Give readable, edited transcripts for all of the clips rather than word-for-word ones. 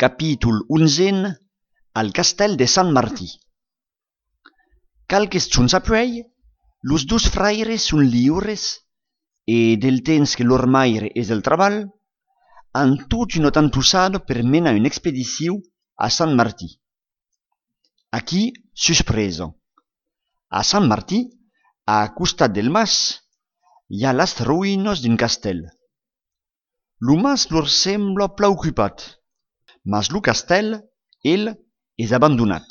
Capítol 11 al Castell de Sant Martí. Calques giorns apuei, los dos fraires son lliures e del temps que lor maire es del treball, han tot un tantussado per menar un'expedició a Sant Martí. Aquí, suspreso. A Sant Martí, a costat del mas, hi ha les ruïnes d'un castell. Lo mas lor sembla preocupat, mas lo castell, ell, és abandonat.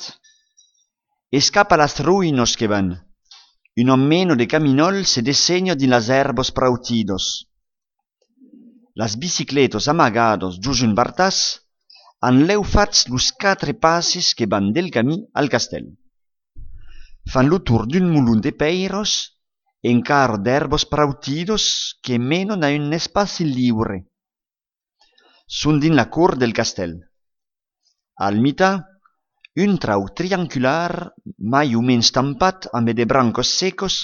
És cap a las ruïnes que van. Un hommeno de caminol se disegna din las herbos prautidos. Las bicicletos amagados gius un bartàs han leu fats los 4 passes que van del camí al castell. Fan lo tour d'un mulun de peiros encara d'herbos prautidos que menon a un espaci lliure. Són din la cort del castell. Al mitjà, un trau triangular, mai o menys tampat amb de brancos secos,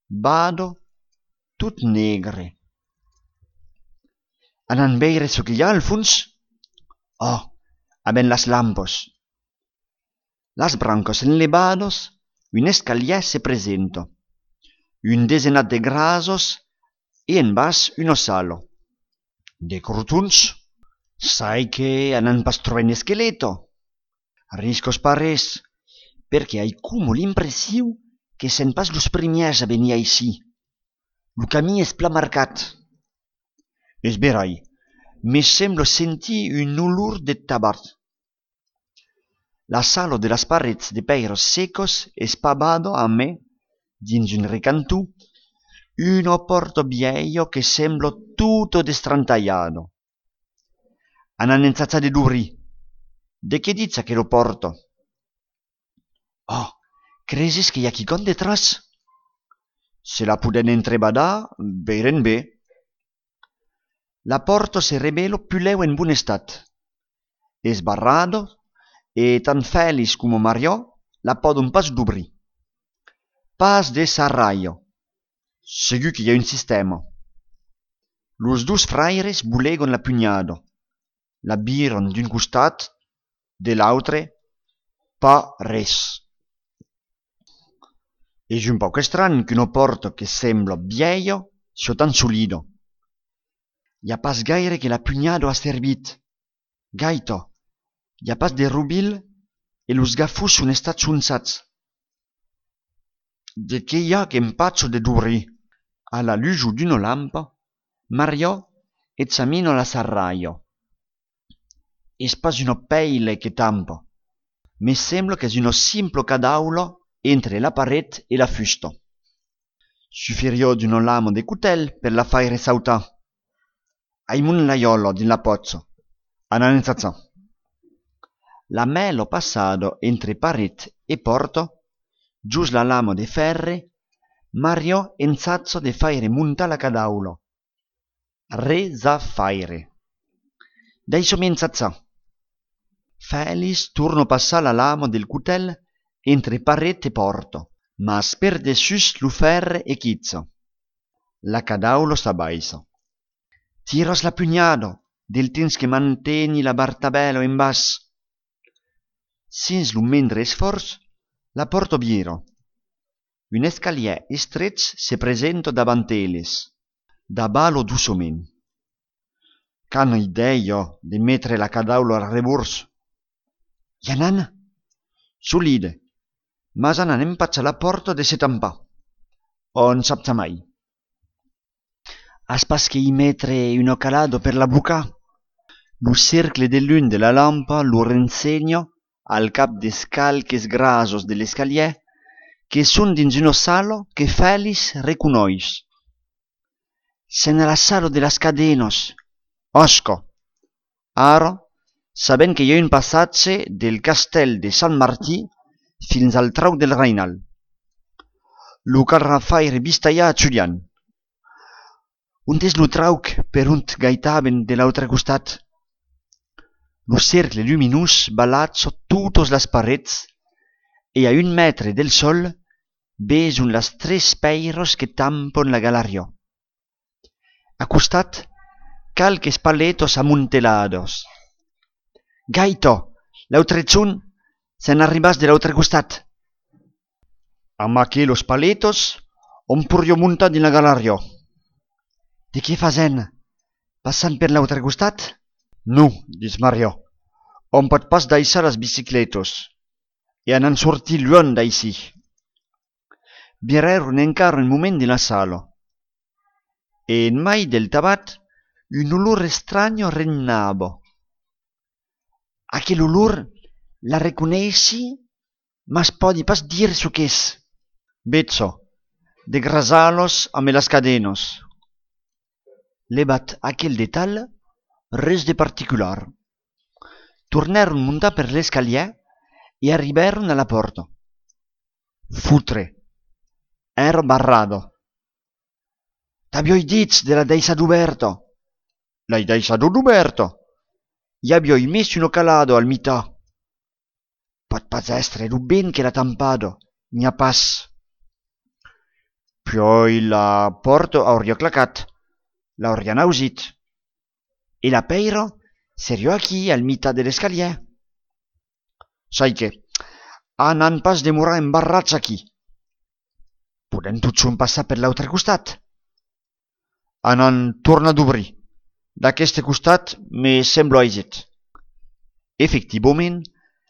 vado, tot negre. Anan veire so que hi ha al fons? Oh, haben las lampos. Las brancos enlevados, un escalier se presenta. Un desenat de grasos e en bas un salo. De crotuns, sai que anan pas trobar un esqueleto. Riscos pares, perché hai como l'impressió que sen pas los primiers a venir ici. Lo camí és pla marcat. És verai, me sembla sentir un olor de tabac. La sala de las parets de peiros secos és pavado a me, dins un recantu, un porto viejo que sembla tutto destrantagliato. Anan enzazza de duri. De che dizza che lo porto? Oh, cresis che hi ha quicon detrás? Se la puden entrebadar, veiren bé. La porta se revelo più leu en bon estat. Es barrado, e tan Félix como Mario la podon pas d'obrir. Pas de sarraio. Segur que hi ha un sistema. Los dos fraires bulegon la pugnado. La biron d'un costat, de l'altre, pas res. És un poc estrany que una porta que sembla viejo sia tan solido. Hi ha pas gaire que la pugnado ha servit. Gaito, hi ha pas de rubil e los gafus son estats unzats. De che hi ha que empaccio de duri. A la luce d'una lampa, Mario examina la serraio. És pas una peile che tampa. Mi sembla che è uno simple cadaulo entre la paret e la fusta. Suffiria d'una lama de cutell per la fare sautar. Hai un laiolo din la pozzo. Analizzazione. La melo passato entre paret e porto, gius la lama de ferre, Mario enzazzo de fare munta la cadaulo. Resa fare. Dai somienzazza. Félix torna passar la lama del cutell entre paret e porto, mas per dessus lo ferre e chizzo. La cadaulo s'abbaissa. Tiras la pugnado, del temps que mantegni la bartabello in bas. Sins lo mentre sforzo, la porta biero. Un escalier estret se presenta davant elles. Da balo dussoment. Qu'han idea de mettere la cadaulo al revors. Yanan, solide, mas anan empaccia la porta de se tampar. On sapta mai. As pas che hi mettere un calado per la buca. Lo cercle de lun de la lampa lo rensegna al cap des calques grasos de l'escalier che son dins uno salo che Félix reconois. Se nella sala de las cadenos. Osco. Ara, sabent que hi ha un passatge del castell de Sant Martí fins al trau del Reinal. Lo caldrà faire vistalla a Julián. On és lo trauc per on gaitaven de l'altre costat? Lo cercle luminós balazza totes les parets e a 1 metre del sol veson las 3 peiros que tampon la galeria. A costat, calques paletos amuntelados. Gaito, l'autre chun, se'n arribas de l'autre costat. Amb los paletos, on purio muntar din la galario. De què fasen? Passant per l'altre costat? No, dis Mario. On pot pas deixar les bicicletos. E anan sortir lluny d'així. Vireron encara un moment de la sala. E en mai del tabac, un olor estranyo regnava. Aquel olor la reconeixi, mas podi pas dir su que és. Bezzo, de grasalos amb les cadenos. Levat aquel detall, res de particular. Tornaron muntar per l'escalier e arribaron a la porta. Futre. Era barrado. T'avioi dit de la deixat oberta. L'hai deixat oberta. I avioi messo uno calado al mità. Pot pas estre lo ben che l'ha tampado. N'hi ha pas. Poi la porta hauria clacat. L'hauria nausit. E la peira serio aquí al mità de l'escalier. Sai que, anan pas demorar embarrats aquí. Podem tots passar per l'altre costat. Anan torna d'obrir. D'aquest costat me sembla aisit. Efectivament,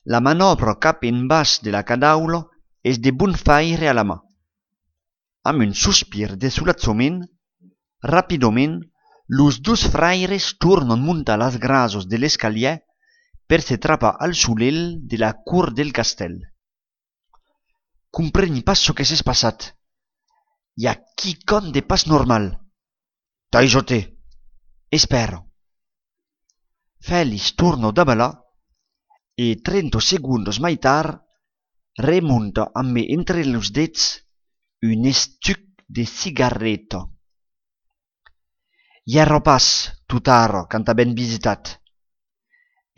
la manobra cap en baix de la cadaula és de bon faire a la mà. Amb un sospir de solazzament, rapidament, los dos fraires tornen muntar les grasos de l'escalier per se trapar al solel de la cur del castell. Compreni pas ce que s'és passat. Hi ha quicon de pas normal. Taijote. Espero. Félix torna de ballar e 30 segundos mai tard remunta amb entre los dets un estuc de cigarreta. Hi era pas tot ara quand ben visitat,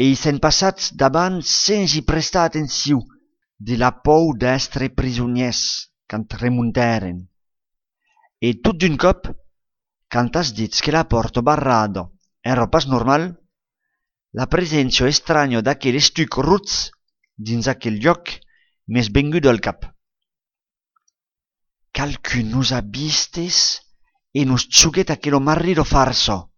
e i s'en passats davant sense prestar atenció de la por d'estre prisoniers quand remuntaren. E tot d'un cop, quand has dit que la porta barrada era pas normal, la presència estranya d'aquell estuc ruts dins aquell lloc m'és venguda al cap. Qualcun nos ha vistes e nos xuguet aquello marrido farso.